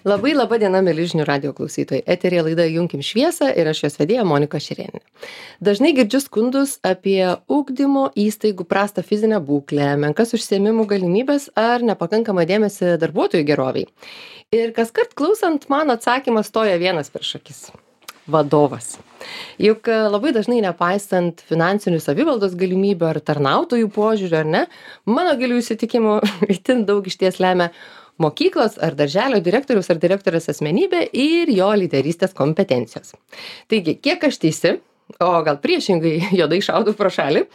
Labai laba diena, mėly žinių radijo klausytojai. Eterija laida Junkim šviesą ir aš jos vedėja Monika Šerėnė. Dažnai girdžiu skundus apie ugdymo įstaigų prastą fizinę būklę, menkas užsiėmimų galimybės ar nepakankamą dėmesį darbuotojų geroviai. Ir kaskart klausant, man atsakymas stoja vienas prieš akis. Vadovas. Juk labai dažnai nepaisant finansinių savivaldos galimybių ar tarnautojų požiūrių, ar ne, mano gilių įsitikimų itin daug išties lemia mokyklos ar darželio direktoriaus ar direktorės asmenybė ir jo lyderystės kompetencijos. Taigi, kiek aš teisi, o gal priešingai juodai šaudau pro šalį,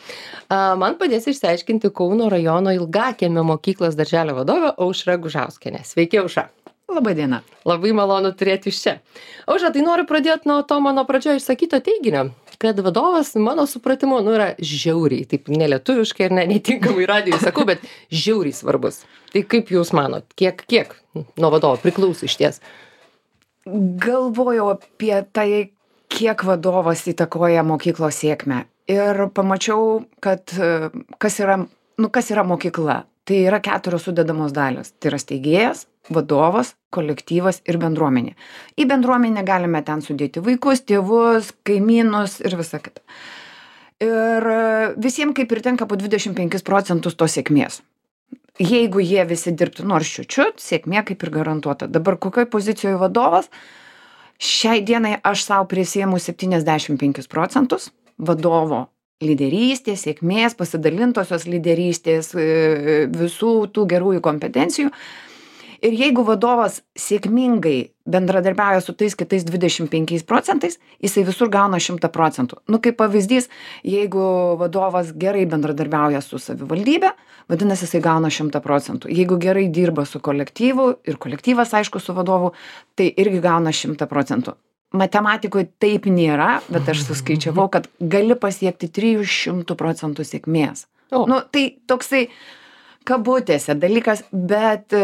man padės išsiaiškinti Kauno rajono Ilgakiemio mokyklos darželio vadovė Aušra Gužauskienė. Sveiki, Aušra. Labą dieną. Labai malonu turėti iš čia. Aušra, tai noriu pradėti nuo to mano pradžioje išsakyto teiginio, kad vadovas, mano supratimu, yra žiauriai, taip nelietuviškai ir netinkamai radijui sakau, bet žiauriai svarbus. Tai kaip jūs manot, kiek nuo vadovo priklauso išties? Galvojau apie tai, kiek vadovas įtakoja mokyklos sėkmę. Ir pamačiau, kad kas yra mokykla. Tai yra 4 sudedamos dalys. Tai yra steigėjas, vadovas, kolektyvas ir bendruomenė. Į bendruomenę galime ten sudėti vaikus, tėvus, kaimynus ir visą kitą. Ir visiems kaip ir tenka po 25% tos sėkmės. Jeigu jie visi dirbtų nors čiučiut, sėkmė kaip ir garantuota. Dabar kokioj pozicijoje vadovas? Šiai dienai aš savo prisiėmu 75% vadovo lyderystės, sėkmės, pasidalintosios lyderystės, visų tų gerųjų kompetencijų. Ir jeigu vadovas sėkmingai bendradarbiauja su tais kitais 25%, jisai visur gauna 100%. Kaip pavyzdys, jeigu vadovas gerai bendradarbiauja su savivaldybe, vadinasi, jisai gauna 100%. Jeigu gerai dirba su kolektyvu ir kolektyvas, aišku, su vadovu, tai irgi gauna 100%. Matematikoje taip nėra, bet aš suskaičiavau, kad gali pasiekti 300% sėkmės. Tai toksai kabutėse dalykas, bet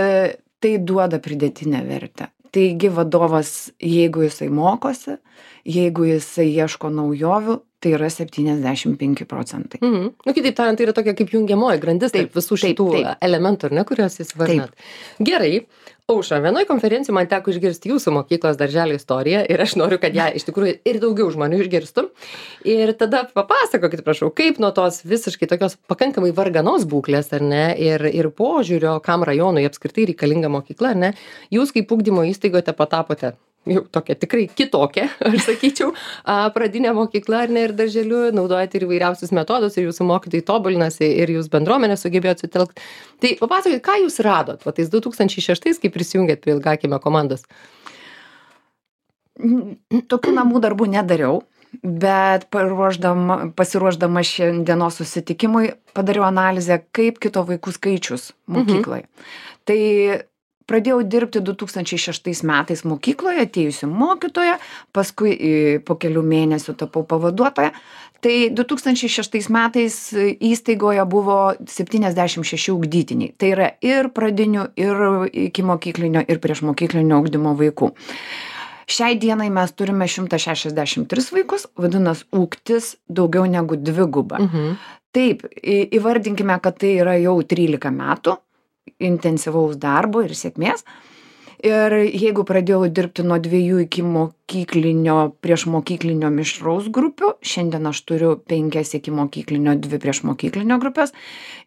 tai duoda pridėtinę vertę. Taigi vadovas, jeigu jisai mokosi, jeigu jisai ieško naujovių, tai yra 75%. Kitaip tariant, tai yra tokia kaip jungiamoji grandis tarp visų šitų elementų, ar ne, kuriuos jūs vardinat. Gerai. Aušra, vienoj konferencijoj man teko išgirsti jūsų mokyklos darželio istoriją ir aš noriu, kad ją iš tikrųjų ir daugiau žmonių išgirstų. Ir tada papasakokit, prašau, kaip nuo tos visiškai tokios pakankamai varganos būklės, ar ne, ir požiūrio, kam rajonui apskritai reikalinga mokykla, ar ne, jūs kaip ugdymo įstaigoje patapote jau tokia tikrai kitokia, aš sakyčiau, pradinė mokykla, ar ne, ir darželiu, naudojate ir įvairiausius metodus, ir jūsų mokytojai tobulinasi, ir jūs bendruomenę sugebėjot sutelkti. Tai papasakokit, ką jūs radot, tais 2006, kai prisijungėt prie Ilgakiemio komandos? Tokių namų darbų nedariau, bet pasiruošdama šiandienos susitikimui padariau analizę, kaip kito vaikų skaičius mokykloje. Tai pradėjau dirbti 2006 metais mokykloje, atėjusi mokytoja, paskui po kelių mėnesių tapau pavaduotoja. Tai 2006 metais įstaigoje buvo 76 ugdytiniai. Tai yra ir pradinių, ir ikimokyklinio, ir priešmokyklinio ugdymo vaikų. Šiai dienai mes turime 163 vaikus, vadinasi, ūgtis daugiau negu dviguba. Taip, įvardinkime, kad tai yra jau 13 metų intensyvaus darbo ir sėkmės. Ir jeigu pradėjau dirbti nuo 2 ikimokyklinio, priešmokyklinio mišraus grupių, šiandien aš turiu 5 ikimokyklinio, 2 priešmokyklinio grupės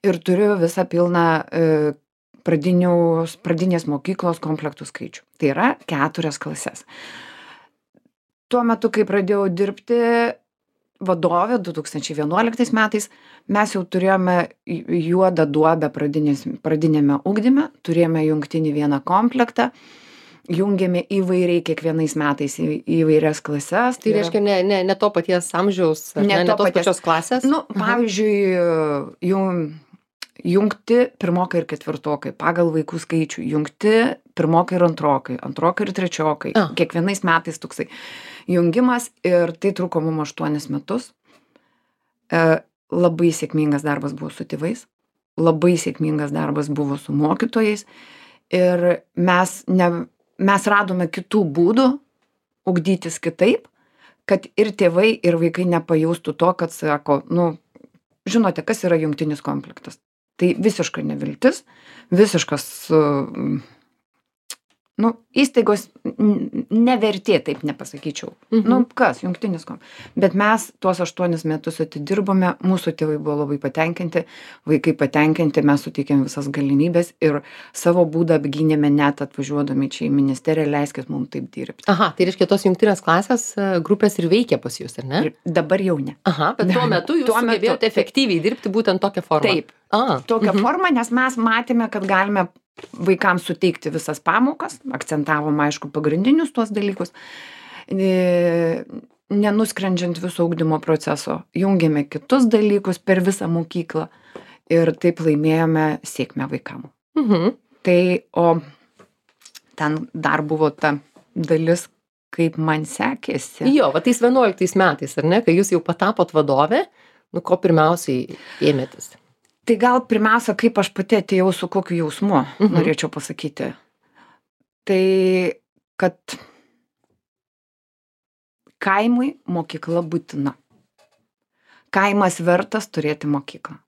ir turiu visą pilną pradinės mokyklos komplektų skaičių. Tai yra 4 klases. Tuo metu, kai pradėjau dirbti vadovė 2011 metais, mes jau turėjome juodą duobę pradinėme ugdyme, turėjome jungtinį vieną komplektą, jungėme įvairiai kiekvienais metais įvairias klases. Tai reiškia ne to paties amžiaus, ne tos pačios klasės? Pavyzdžiui, jungti pirmokai ir ketvirtokai, pagal vaikų skaičių, jungti pirmokai ir antrokai ir trečiokai. Kiekvienais metais toksai jungimas ir tai truko mums 8 metus. Labai sėkmingas darbas buvo su tėvais, labai sėkmingas darbas buvo su mokytojais ir mes radome kitų būdų ugdytis kitaip, kad ir tėvai, ir vaikai nepajaustų to, kad sako, žinote, kas yra jungtinis komplektas. Tai visiška neviltis, visiškas nu, įstaigos nevertė, taip nepasakyčiau. Nu, kas, jungtinis kom. Bet mes tuos 8 metus atidirbome, mūsų tėvai buvo labai patenkinti, vaikai patenkinti, mes suteikėm visas galimybės ir savo būdą apgynėme net atvažiuodami čia į ministeriją, leiskit mums taip dirbti. Aha, tai reiškia, tos jungtinės klasės grupės ir veikia pas jūs, ar ne? Ir dabar jau ne. Aha, bet tuo metu jūs sugebėjote efektyviai dirbti būtent tokią formą. Taip, tokią formą, nes mes matėme, kad galime vaikams suteikti visas pamokas, akcentavom, aišku, pagrindinius tuos dalykus, nenuskrendžiant viso ugdymo proceso, jungėme kitus dalykus per visą mokyklą ir taip laimėjome sėkmę vaikam. Tai, o ten dar buvo ta dalis, kaip man sekėsi. Jo, va tais 11 metais, ar ne, kai jūs jau patapot vadovė, nu ko pirmiausiai ėmėtis? Tai gal pirmiausia, kaip aš pati atėjau su kokiu jausmu, norėčiau pasakyti. Tai, kad kaimui mokykla būtina. Kaimas vertas turėti mokyklą.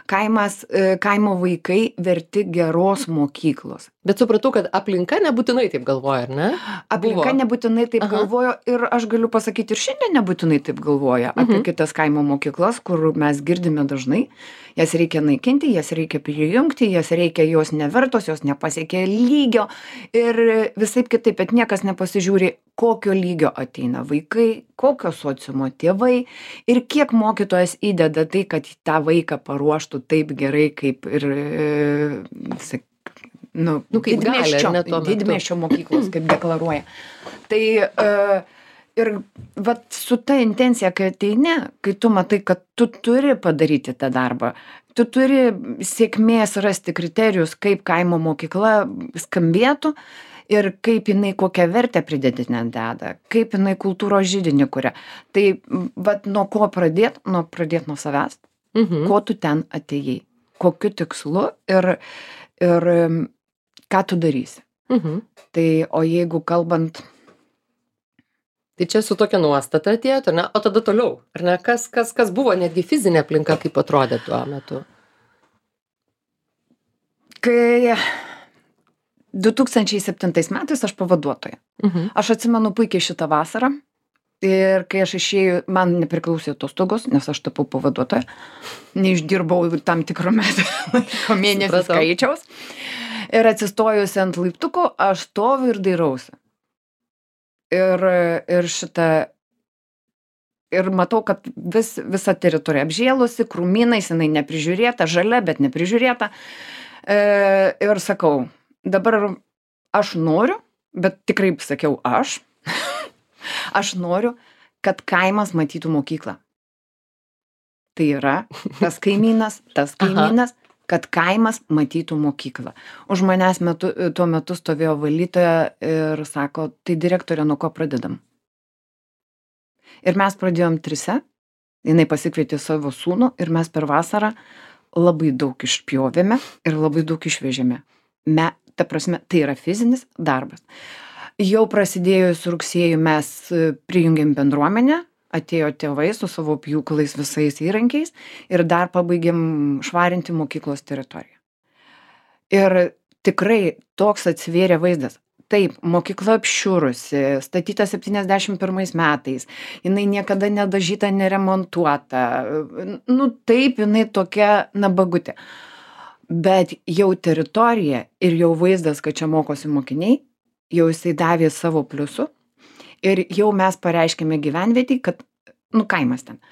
Kaimo vaikai verti geros mokyklos. Bet supratau, kad aplinka nebūtinai taip galvoja, ar ne? Aplinka nebūtinai taip galvojo ir aš galiu pasakyti ir šiandien nebūtinai taip galvoja apie kitas kaimo mokyklas, kur mes girdime dažnai. Jas reikia naikinti, jas reikia prijungti, jos nevertos, jos nepasiekia lygio ir visaip kitaip, bet niekas nepasižiūri, kokio lygio ateina vaikai, kokio sociumo tėvai ir kiek mokytojas įdeda tai, kad tą vaiką paruoštų taip gerai, kaip ir didmiesčio mokyklos, kaip deklaruoja. Tai ir vat su ta intencija, kai ateini, kai tu matai, kad tu turi padaryti tą darbą, tu turi sėkmės rasti kriterijus, kaip kaimo mokykla skambėtų ir kaip jinai kokią vertę pridėtinę deda, kaip jinai kultūros židinį kuria. Tai vat nuo ko pradėt? Pradėt nuo savęs. Ko tu ten atėjai? Kokiu tikslu ir ką tu darysi? Tai, o jeigu kalbant... Tai čia su tokia nuostata atėjot, ar ne? O tada toliau, ar ne? Kas buvo netgi fizinė aplinka, kaip atrodė tuo metu? Kai 2007 metais aš pavaduotoja. Aš atsimenu puikiai šitą vasarą ir kai aš išėjau, man nepriklausė atostogos, nes aš tapau pavaduotoja, neišdirbau tam tikro laiko mėnesio skaičiaus ir atsistojusi ant laiptuko, aš stoviu ir dairausi. Ir matau, kad visa teritorija apžėlusi, krūmynais, jinai neprižiūrėta, žalia, bet neprižiūrėta. Ir sakau, dabar aš noriu, bet tikrai sakiau aš noriu, kad kaimas matytų mokyklą. Tai yra tas kaimynas, kad kaimas matytų mokyklą. Už manęs tuo metu stovėjo valytoja ir sako, tai direktorė, nuo ko pradedam? Ir mes pradėjom 3, jinai pasikvietė savo sūnų ir mes per vasarą labai daug išpjovėme ir labai daug išvežėme. Ta prasme, tai yra fizinis darbas. Jau prasidėjus rugsėjui mes prijungėm bendruomenę, atėjo tėvai su savo pjūklais visais įrankiais ir dar pabaigėm švarinti mokyklos teritoriją. Ir tikrai toks atsivėrė vaizdas. Taip, mokykla apšiurusi, statyta 71 metais, jinai niekada nedažyta, neremontuota. Nu taip, jinai tokia nabagutė. Bet jau teritorija ir jau vaizdas, kad čia mokosi mokiniai, jau jisai davė savo pliusų. Ir jau mes pareiškėme gyvenvietį, kad, kaimas ten,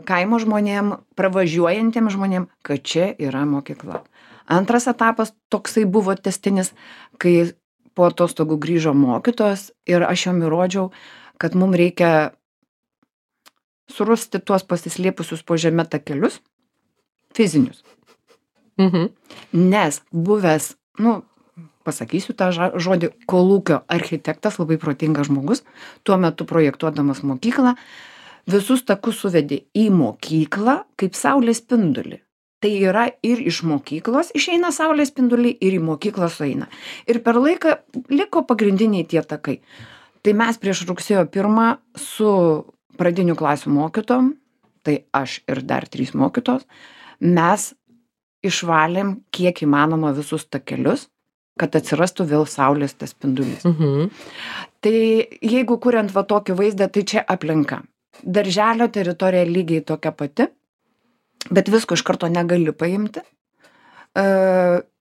kaimo žmonėm, pravažiuojantiem žmonėm, kad čia yra mokykla. Antras etapas toksai buvo tęstinis, kai po atostogų grįžo mokytojas ir aš jom įrodžiau, kad mums reikia surasti tuos pasislėpusius po žeme takelius, fizinius. Nes buvęs, pasakysiu tą žodį, kolūkio architektas, labai protingas žmogus, tuo metu projektuodamas mokyklą, visus takus suvedė į mokyklą kaip saulės spindulį. Tai yra ir iš mokyklos išeina saulės spinduliai ir į mokyklą sueina. Ir per laiką liko pagrindiniai tie takai. Tai mes prieš rugsėjo 1 su pradinių klasių mokytojom, tai aš ir dar 3 mokytojos, mes išvalėm kiek įmanoma visus takelius, kad atsirastų vėl saulės tas spindulys. Mhm. Tai jeigu kuriant va tokį vaizdą, tai čia aplinka. Darželio teritorija lygiai tokia pati, bet visko iš karto negali paimti.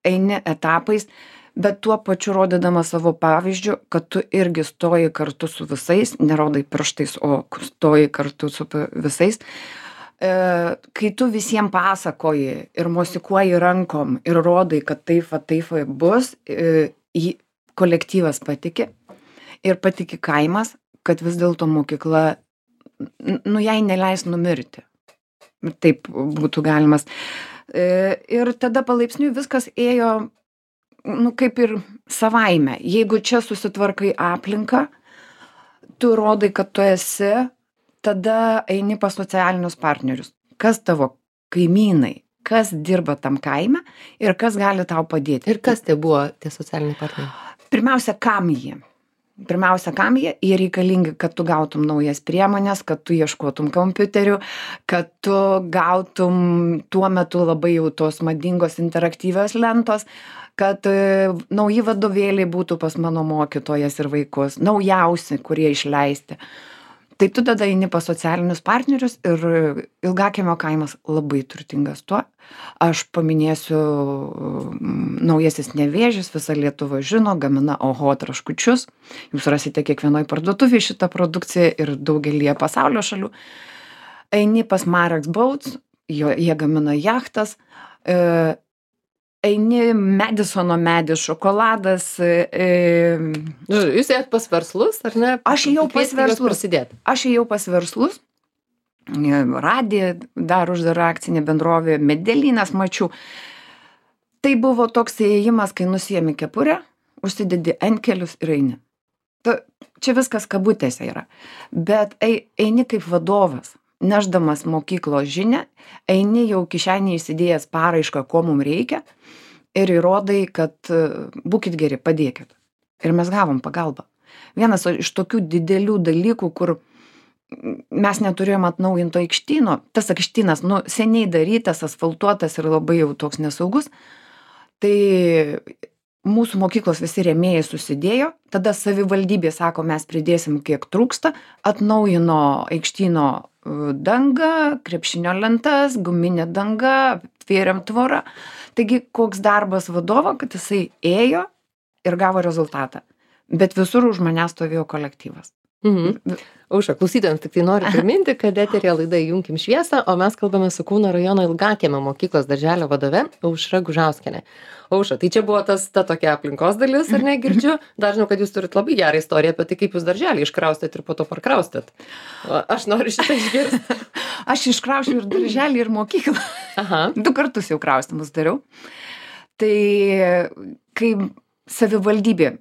Eini etapais, bet tuo pačiu rodydama savo pavyzdžiu, kad tu irgi stoji kartu su visais, nerodai pirštais, o stoji kartu su visais. Kai tu visiems pasakoji ir mosikuoji rankom ir rodai, kad taip bus, kolektyvas patiki ir patiki kaimas, kad vis dėlto mokykla, jai neleis numirti. Taip būtų galimas. Ir tada palaipsniui viskas ėjo, kaip ir savaime. Jeigu čia susitvarkai aplinką, tu rodai, kad tu esi, tada eini pas socialinius partnerius. Kas tavo kaimynai, kas dirba tam kaime ir kas gali tau padėti. Ir kas tai buvo tie socialiniai partneriai? Pirmiausia, kam jie? Jie reikalingi, kad tu gautum naujas priemonės, kad tu ieškotum kompiuterių, kad tu gautum tuo metu labai jau tos madingos interaktyvios lentos, kad nauji vadovėliai būtų pas mano mokytojas ir vaikus, naujausi, kurie išleisti. Tai tu tada eini pas socialinius partnerius ir Ilgakiemio kaimas labai turtingas tuo. Aš paminėsiu naujasis Nevėžis, visa Lietuva žino, gamina Oho traškučius. Jūs rasite kiekvienoj parduotuvėje šitą produkciją ir daugelyje pasaulio šalių. Eini pas Marex Boats, jie gamina jachtas. Eini Madisono medis, šokoladas. Jūs ėjot pas verslus, ar ne? Aš ėjau pas verslus. Radija dar uždara akcinė bendrovė, Medelynas mačiau. Tai buvo toks ėjimas, kai nusiemi kepurę, užsidedi antkelius ir eini. Čia viskas kabutėse yra. Bet eini kaip vadovas, nešdamas mokyklos žinią, eini jau kišenį įsidėjęs paraišką, ko mums reikia, ir įrodai, kad būkit geri, padėkit. Ir mes gavom pagalbą. Vienas iš tokių didelių dalykų, kur mes neturėjom atnaujinto aikštyno, tas aikštynas, seniai darytas, asfaltuotas ir labai jau toks nesaugus, tai mūsų mokyklos visi rėmėjai susidėjo, tada savivaldybė sako, mes pridėsim kiek trūksta, atnaujino aikštyno dangą, krepšinio lentas, guminė danga, tvėrėm tvorą. Taigi, koks darbas vadovo, kad jisai ėjo ir gavo rezultatą. Bet visur už manęs stovėjo kolektyvas. Aušra, klausytojams tik tai noriu priminti, kad eteryje laida Įjunkim šviesą, o mes kalbame su Kauno rajono Ilgakiemio mokyklos darželio vadove Aušra Gužauskienė. Aušra, tai čia buvo ta tokia aplinkos dalis, ar ne, girdžiu? Dar žinau, kad jūs turit labai gerą istoriją apie tai, kaip jūs darželį iškraustėt ir po to parkraustėt. Aš noriu šitą išgirsti. Aš iškraušiau ir darželį, ir mokyklą. Aha. 2 kartus jau kraustymus dariau. Tai kai savivaldybė,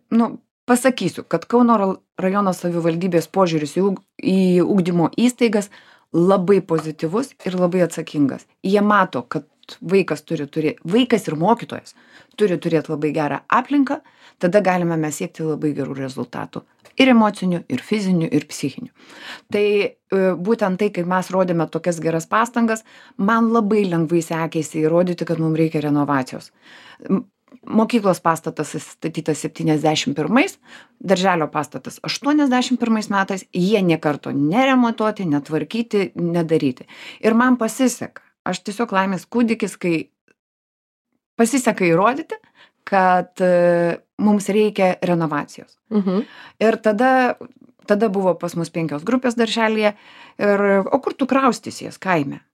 pasakysiu, kad Kauno rajono savivaldybės požiūris į ugdymo įstaigas labai pozityvus ir labai atsakingas. Jie mato, kad vaikas ir mokytojas turi turėti labai gerą aplinką, tada galime mes siekti labai gerų rezultatų. Ir emocinių, ir fizinių, ir psichinių. Tai būtent tai, kai mes rodėme tokias geras pastangas, man labai lengvai sekėsi įrodyti, kad mums reikia renovacijos. Mokyklos pastatas statytas 71, darželio pastatas 81 metais, jie nė karto neremontuoti, netvarkyti, nedaryti. Ir man pasiseka. Aš tiesiog laimės kūdikis, kai pasiseka įrodyti, kad mums reikia renovacijos. Ir tada buvo pas mus 5 grupės darželyje. O kur tu kraustysies kaime?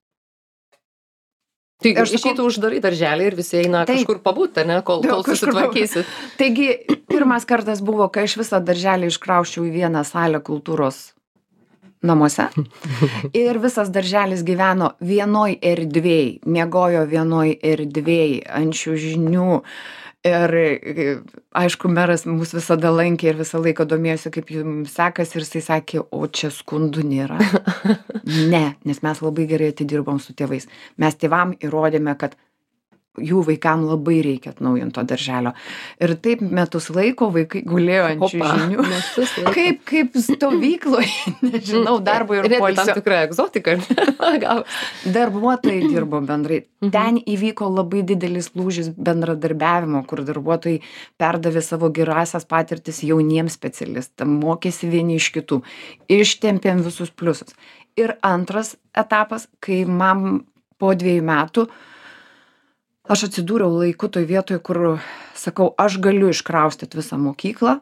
Tai išeitų uždarai darželį ir visi eina kažkur pabūt, ne, kol susitvarkysit. Taigi, pirmas kartas buvo, kai aš visą darželį iškrauščiau į vieną salę kultūros namuose. Ir visas darželis gyveno vienoj erdvėj, miegojo vienoj erdvėj, ant čiužinių. Ir aišku, meras mus visada lankė ir visą laiką domėjosi, kaip jums sekasi, ir jisai sakė, o čia skundų nėra. Ne, nes mes labai gerai atidirbom su tėvais. Mes tėvam įrodėme, kad jų vaikam labai reikia atnaujinto darželio. Ir taip metus laiko vaikai gulėjo ant čiužinių. Kaip stovykloje, nežinau, darbo ir Tam poilsio. tikra egzotika. Darbuotojai dirbo bendrai. Ten įvyko labai didelis lūžis bendradarbiavimo, kur darbuotojai perdavė savo gerąsias patirtis jauniems specialistams, mokėsi vieni iš kitų, ištempėm visus pliusus. Ir antras etapas, kai man po 2 metų aš atsidūriau laiku toj vietoj, kur sakau, aš galiu iškraustyti visą mokyklą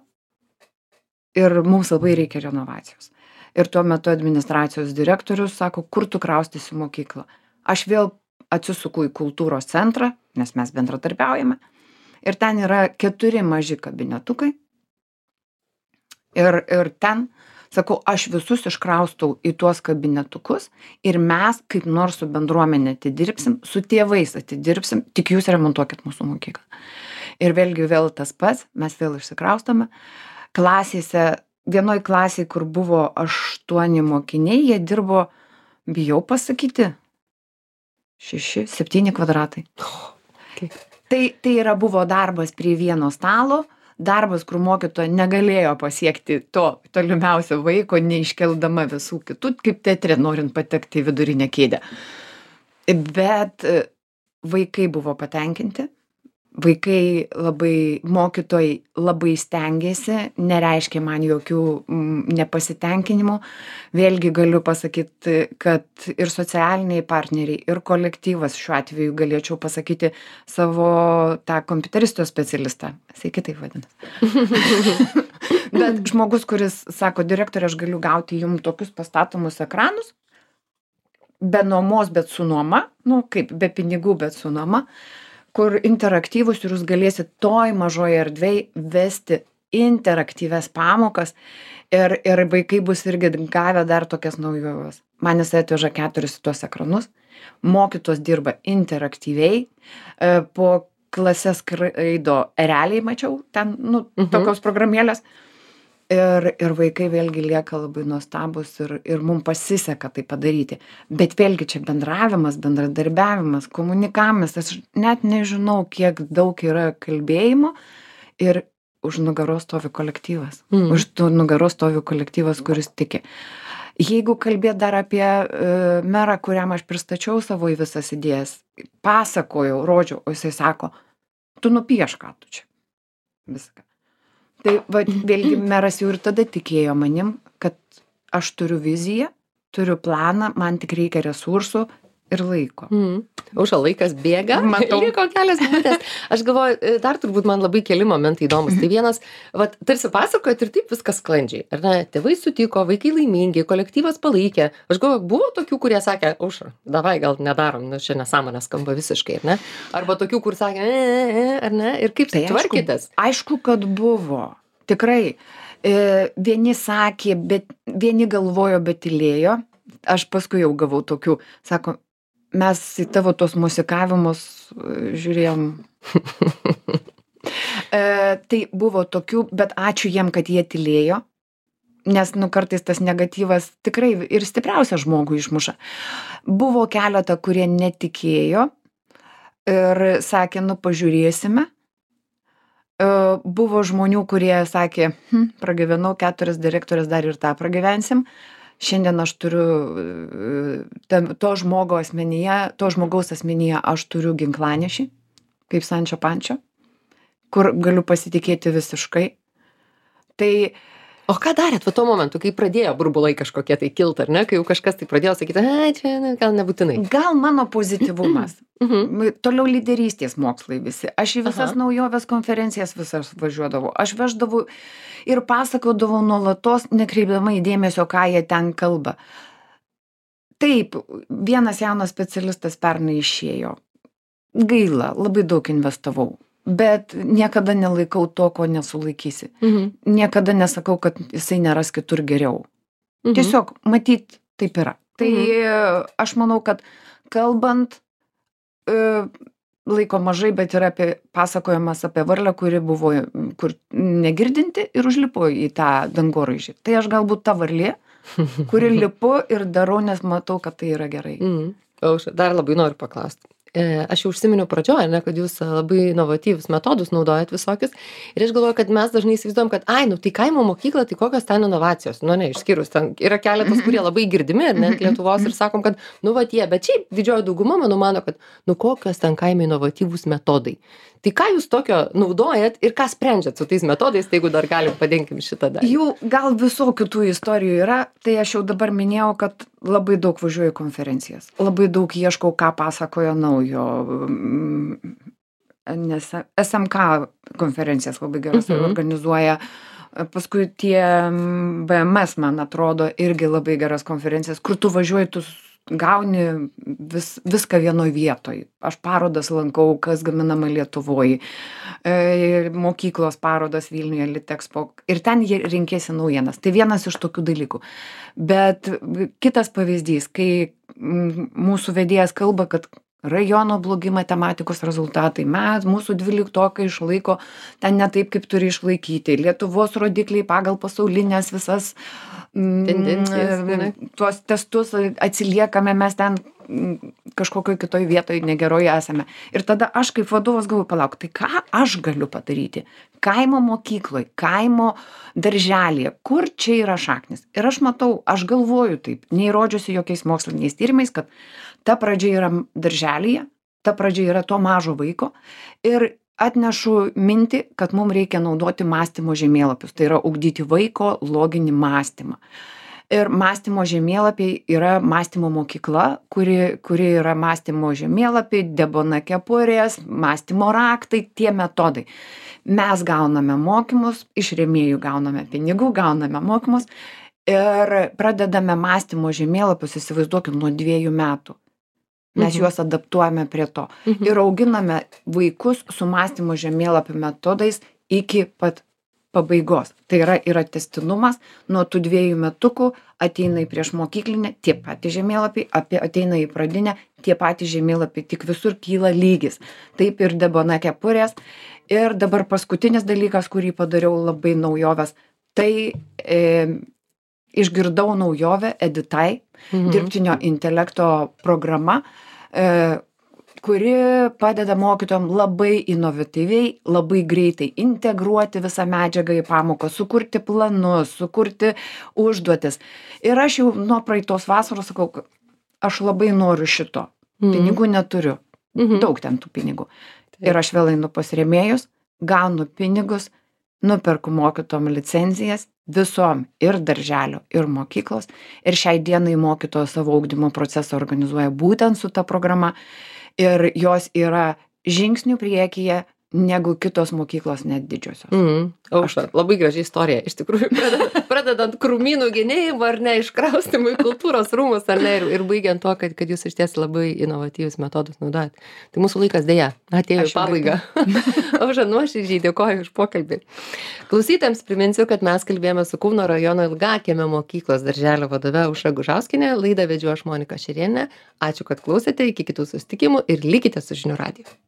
ir mums labai reikia renovacijos. Ir tuo metu administracijos direktorius sako, kur tu kraustysi mokyklą. Aš vėl atsisuku į kultūros centrą, nes mes bendradarbiaujame. Ir ten yra 4 maži kabinetukai. Ir ten, sakau, aš visus iškraustau į tuos kabinetukus ir mes kaip nors su bendruomenė atidirbsim, su tėvais atidirbsim, tik jūs remontuokit mūsų mokyklą. Ir vėlgi vėl tas pats, mes vėl išsikraustame. Klasėse, vienoj klasėje, kur buvo 8 mokiniai, jie dirbo, bijau pasakyti, 6-7 kvadratai. Tai yra buvo darbas prie vieno stalo, darbas, kur mokytoja negalėjo pasiekti to tolimiausio vaiko, neiškeldama visų kitų, kaip teatre, norint patekti į vidurinę kėdę. Bet vaikai buvo patenkinti, vaikai labai, mokytojai labai stengėsi, nereiškia man jokių nepasitenkinimų. Vėlgi galiu pasakyti, kad ir socialiniai partneriai, ir kolektyvas, šiuo atveju galėčiau pasakyti savo tą kompiuteristo specialistą. Jisai kitaip vadinasi. Bet žmogus, kuris sako, direktorė, aš galiu gauti jums tokius pastatomus ekranus, be nuomos, bet su nuoma, kaip be pinigų, bet su nuoma, kur interaktyvus ir jūs galėsit toj mažoje erdvėj vesti interaktyvias pamokas ir vaikai bus irgi gavę dar tokias naujoves. Man jis atveža 4 tuos ekranus, mokytos dirba interaktyviai, po klases skraido realiai mačiau, ten, tokios programėlės. Ir vaikai vėlgi lieka labai nuostabus ir mums pasiseka tai padaryti. Bet vėlgi čia bendravimas, bendradarbiavimas, komunikavimas, aš net nežinau, kiek daug yra kalbėjimo ir už nugaros stovi kolektyvas. Už nugaros stovi kolektyvas, kuris tiki. Jeigu kalbėt dar apie merą, kuriam aš pristačiau savo į visas idėjas, pasakojau, rodžiau, o jisai sako, tu nupiešk, ką tu čia. Viską. Tai vėlgi meras jau ir tada tikėjo manim, kad aš turiu viziją, turiu planą, man tik reikia resursų ir laiko. Aušra, laikas bėga, liko kelias minutės. Aš galvoju, dar turbūt man labai keli momentai įdomus. Tai vienas, tarsi pasakojat ir taip viskas sklandžiai. Ar ne, tėvai sutiko, vaikai laimingi, kolektyvas palaikė. Aš galvoju, buvo tokių, kurie sakė, Aušra, davai gal nedarom, čia nesąmonė skamba visiškai, ar ne? Arba tokių, kur sakė, ar ne? Ir kaip tai tvarkytas? Aišku, kad buvo. Tikrai. Vieni sakė, bet vieni galvojo, bet tylėjo. Aš paskui jau gavau tokių, sako, mes į tavo tos musikavimus žiūrėjom. Tai buvo tokių, bet ačiū jiem, kad jie tylėjo, nes kartais tas negatyvas tikrai ir stipriausia žmogų išmuša. Buvo keletą, kurie netikėjo ir sakė, pažiūrėsime. Buvo žmonių, kurie sakė, pragyvenau 4 direktorės, dar ir tą pragyvensim. Šiandien aš turiu to žmogaus asmenyje aš turiu ginklanešį, kaip Sančio Pančio, kur galiu pasitikėti visiškai. Tai, o ką darėt tuo momentu, kai pradėjo burbulai kažkokie tai kilt, ar ne? Kai jau kažkas tai pradėjo sakyti, čia gal nebūtinai. Gal mano pozityvumas. Toliau lyderystės mokslai visi. Aš į visas naujoves konferencijas visas važiuodavau. Aš veždavau ir pasakodavau nuolatos, nekreipdama į dėmesio, ką jie ten kalba. Taip, vienas jaunas specialistas pernai išėjo. Gaila, labai daug investavau. Bet niekada nelaikau to, ko nesulaikysi. Niekada nesakau, kad jisai neras kitur geriau. Tiesiog, matyt, taip yra. Tai aš manau, kad kalbant, laiko mažai, bet yra pasakojimas apie varlę, kuri buvo kur negirdinti ir užlipo į tą dangoraižį. Tai aš galbūt ta varlė, kuri lipu ir darau, nes matau, kad tai yra gerai. Aušra, dar labai noriu paklausti. aš jau užsiminiau pradžioj, ne, kad jūs labai inovatyvius metodus naudojat visokius. Ir aš galvoju, kad mes dažnai įsivaizduojam, kad, tai kaimo mokykla, tai kokios ten inovacijos. Nu, ne, išskyrus ten yra keletas, kurie labai girdimi, net Lietuvos, ir sakom, kad, nu, va tie, bet šiaip didžioji dauguma, mano, kad, nu, kokios ten kaime inovatyvūs metodai. Tai ką jūs tokio naudojat ir ką sprendžiat su tais metodais, tai jeigu dar galim padengim šitą dalį. Jų gal visokių tų istorijų yra, tai aš jau dabar minėjau, kad labai daug važiuoju į konferencijas, labai daug ieškau, ką pasakojo naujo, nes SMK konferencijas labai geras organizuoja, paskui tie BMS, man atrodo, irgi labai geras konferencijas, kur tu važiuoji, tu gauni viską vienoj vietoj. Aš parodas lankau, kas gaminama Lietuvoj, mokyklos parodas Vilniuje, Litexpo, ir ten rinkėsi naujienas. Tai vienas iš tokių dalykų. Bet kitas pavyzdys, kai mūsų vedėjas kalba, kad rajono blogi matematikos rezultatai, mūsų 12-okai išlaiko ten ne taip, kaip turi išlaikyti. Lietuvos rodikliai pagal pasaulinės visas tendencijas, tuos testus atsiliekame, mes ten kažkokioj kitoj vietoj negeroje esame. Ir tada aš kaip vadovas galvoju, palauk, tai ką aš galiu padaryti? Kaimo mokykloj, kaimo darželėje, kur čia yra šaknis? Ir aš matau, aš galvoju taip, neįrodžiusi jokiais moksliniais tyrimais, kad ta pradžia yra darželėje, ta pradžia yra to mažo vaiko ir atnešu mintį, kad mums reikia naudoti mąstymo žemėlapius, tai yra ugdyti vaiko loginį mąstymą. Ir mąstymo žemėlapiai yra mąstymo mokykla, kuri yra mąstymo žemėlapiai, Debona kepurės, mąstymo raktai, tie metodai. Mes gauname mokymus, iš rėmėjų gauname pinigų, gauname mokymus ir pradedame mąstymo žemėlapius, įsivaizduokim, nuo 2 metų. Mes juos adaptuojame prie to. Ir auginame vaikus su mąstymo žemėlapių metodais iki pat pabaigos. Tai yra tęstinumas, nuo tų 2 metukų ateina į priešmokyklinę, tie patys žemėlapiai, ateina į pradinę, tie patys žemėlapiai, tik visur kyla lygis. Taip ir Debona kepurės. Ir dabar paskutinis dalykas, kurį padariau labai naujovės, tai išgirdau naujovę Editai, dirbtinio intelekto programa, kuri padeda mokytojam labai inovatyviai, labai greitai integruoti visą medžiagą į pamoką, sukurti planus, sukurti užduotis. Ir aš jau nuo praeitos vasaros sakau, aš labai noriu šito. Pinigų neturiu. Daug ten tų pinigų. Ir aš vėl einu pas rėmėjus, gaunu pinigus, nuperku mokytojom licenzijas visom ir darželio, ir mokyklos. Ir šiai dienai mokytojo savo ugdymo procesą organizuoja būtent su ta programa. Ir jos yra žingsnių priekyje negu kitos mokyklos, net didžiosios. Aušra, labai graži istorija. Iš tikrųjų, pradedant krūmynų genėjimą ar ne, iškraustimų į kultūros rūmus, ar ne, ir baigiant to, kad jūs iš ties labai inovatyvius metodus naudojat. Tai mūsų laikas dėja atėjo į pabaigą. Aušra, nuoširdžiai dėkoju už pokalbį. Klausytojams priminsiu, kad mes kalbėjome su Kauno rajono Ilgakiemio mokyklos darželio vadove Aušra Gužauskienė. Laidą vedžiau aš, Monika Šerėnienė. Ačiū, kad klausėte, iki kitų susitikimų ir likite su Žinių radiju.